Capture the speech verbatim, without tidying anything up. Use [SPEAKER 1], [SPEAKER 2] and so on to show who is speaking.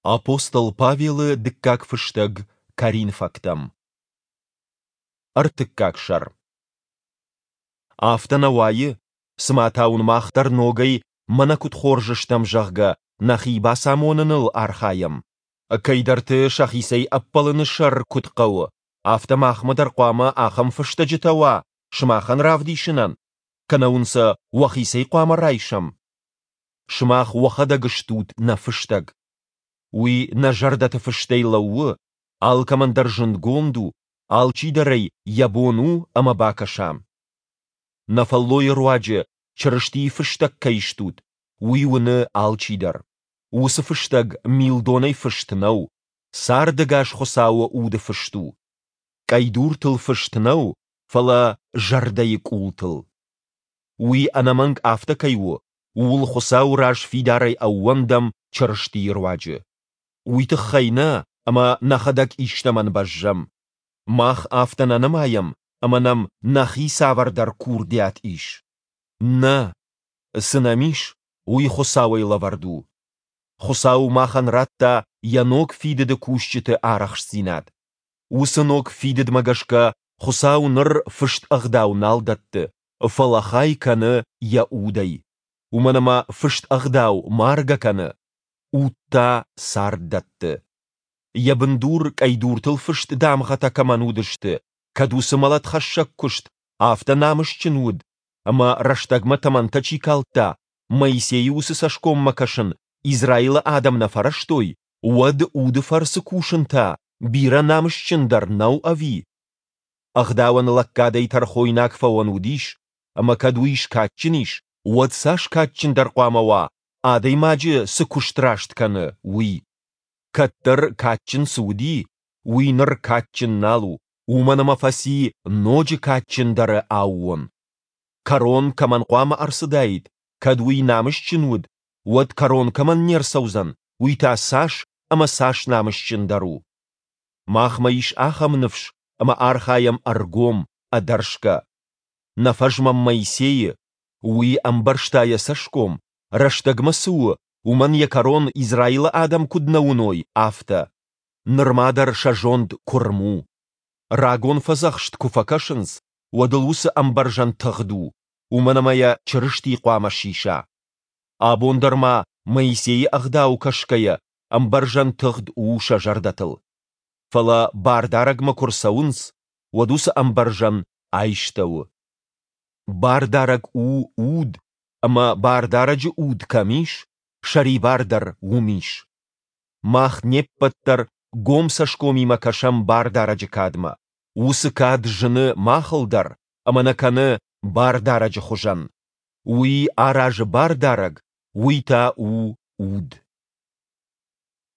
[SPEAKER 1] Апостол Павелы дыккаг фыстӕг Коринфӕгтӕм. Ӕртыккаг сӕр. Афтӕ нӕ уайы, цыма та уын мах дӕр ногӕй, мӕнӕ куыд хорз стӕм, зӕгъгӕ, нӕхи бацамоныныл архайӕм? Кӕйдӕрты сӕхицӕй ӕппӕлыны сӕр куыд хъӕуы, афтӕ махмӕ дӕр хъуамӕ ахӕм фыстӕджытӕ уа сымахӕн равдисынӕн, кӕнӕ уын сӕ уӕхицӕй хъуамӕ райсӕм? Сымах уӕхӕдӕг стут нӕ фыстӕг. Уый нӕ зӕрдӕты фыстӕй лӕууы, алкӕмӕн дӕр зындгонд у, алчидӕр ӕй йӕ бон у ӕмӕ бакӕса. Нӕ фӕллойы руаджы Чырыстийы фыстӕг кӕй стут, уый уыны алчидӕр. Уыцы фыстӕг милдонӕй фыст нӕу, цардӕгас Хуыцауы Уды фыст у. Къӕйдуртыл фыст нӕу, фӕлӕ зӕрдӕйы къултыл. Уый ӕнӕмӕнг афтӕ кӕй у, ууыл Хуыцауы раз фидарӕй ӕууӕндӕм Чырыстийы руаджы. Уый тыххӕй нӕ, ӕмӕ нӕхӕдӕг истӕмӕн бӕззӕм. Мах афтӕ нӕ нымайӕм, ӕмӕ нӕм нӕхи цавӕрдӕр курдиат ис. Нӕ! Цы нӕм ис, уый Хуыцауӕй лӕвӕрд у. Хуыцау махӕн радта йӕ ног фидыды кусджыты арӕхстдзинад. Уыцы ног фидыдмӕ гӕсгӕ Хуыцау ныр фыст ӕгъдау нал дӕтты, фӕлӕ хай кӕны йӕ Удӕй. Уымӕн ӕмӕ фыст ӕгъдау маргӕ кӕны, уд та цард дӕтты. Йӕ бындур къӕйдуртыл фыст дамгъӕтӕ кӕмӕн уыдысты, кӕд уыцы мӕлӕтхӕссӕг куыст афтӕ намысджын уыд, ӕмӕ рӕстӕгмӕ тӕмӕнтӕ чи калдта, Моисейы уыцы цӕсгоммӕ кӕсын Израилы адӕм нӕ фӕрӕзтой, уӕд уды фӕрцы кусын та бирӕ намысджындӕр нӕу, ӕви? Ӕгъдауӕн лӕггадӕй тӕрхойнаг фӕуӕн уыдис, ӕмӕ кӕд уый скадджын ис, уӕд цас кадджындӕр хъуамӕ уа, адӕймаджы цы куыст раст кӕны, уый? Кӕддӕр кадджын цы уыди, уый ныр кадджын нал у, уымӕн ӕмӕ фӕци ноджы кадджындӕры аууон. Кӕрон кӕмӕн хъуамӕ ӕрцыдаид, кӕд уый намысджын уыд, уӕд кӕрон кӕмӕн не рцӕудзӕн, уый та цас ӕмӕ цас намысджындӕр у! Махмӕ ис ахӕм ныфс ӕмӕ архайӕм ӕргом, ӕдӕрсгӕ. Нӕ фӕзмӕм Моисейы, уый ӕмбӕрзта йӕ цӕсгом, рӕстӕгмӕ цы у, уымӕн йӕ кӕрон Израилы адӕм куыд нӕ уыной, афтӕ. Нырма дӕр сӕ зонд куырм у. Рагон фӕдзӕхст куы фӕкӕсынц, уӕд ыл уыцы ӕмбӕрзӕн тыгъд у, уымӕн ӕмӕ йӕ Чырысти хъуамӕ сиса. Абон дӕр ма, Моисейы ӕгъдау кӕсгӕйӕ, ӕмбӕрзӕн тыгъд у сӕ зӕрдӕтыл. Фӕлӕ Бардарӕгмӕ куы рцӕуынц, уӕд уыцы ӕмбӕрзӕн айстӕуы. Бардарӕг у Уд, ӕмӕ Бардарӕджы Уд кӕм ис, сӕрибар дӕр уым ис. Мах не ппӕт дӕр гом цӕсгомимӕ кӕсӕм Бардарӕджы кадмӕ. Уыцы кад зыны махыл дӕр ӕмӕ нӕ кӕны Бардарӕджы хуызӕн. Уый аразы Бардарӕг, уый та у Уд.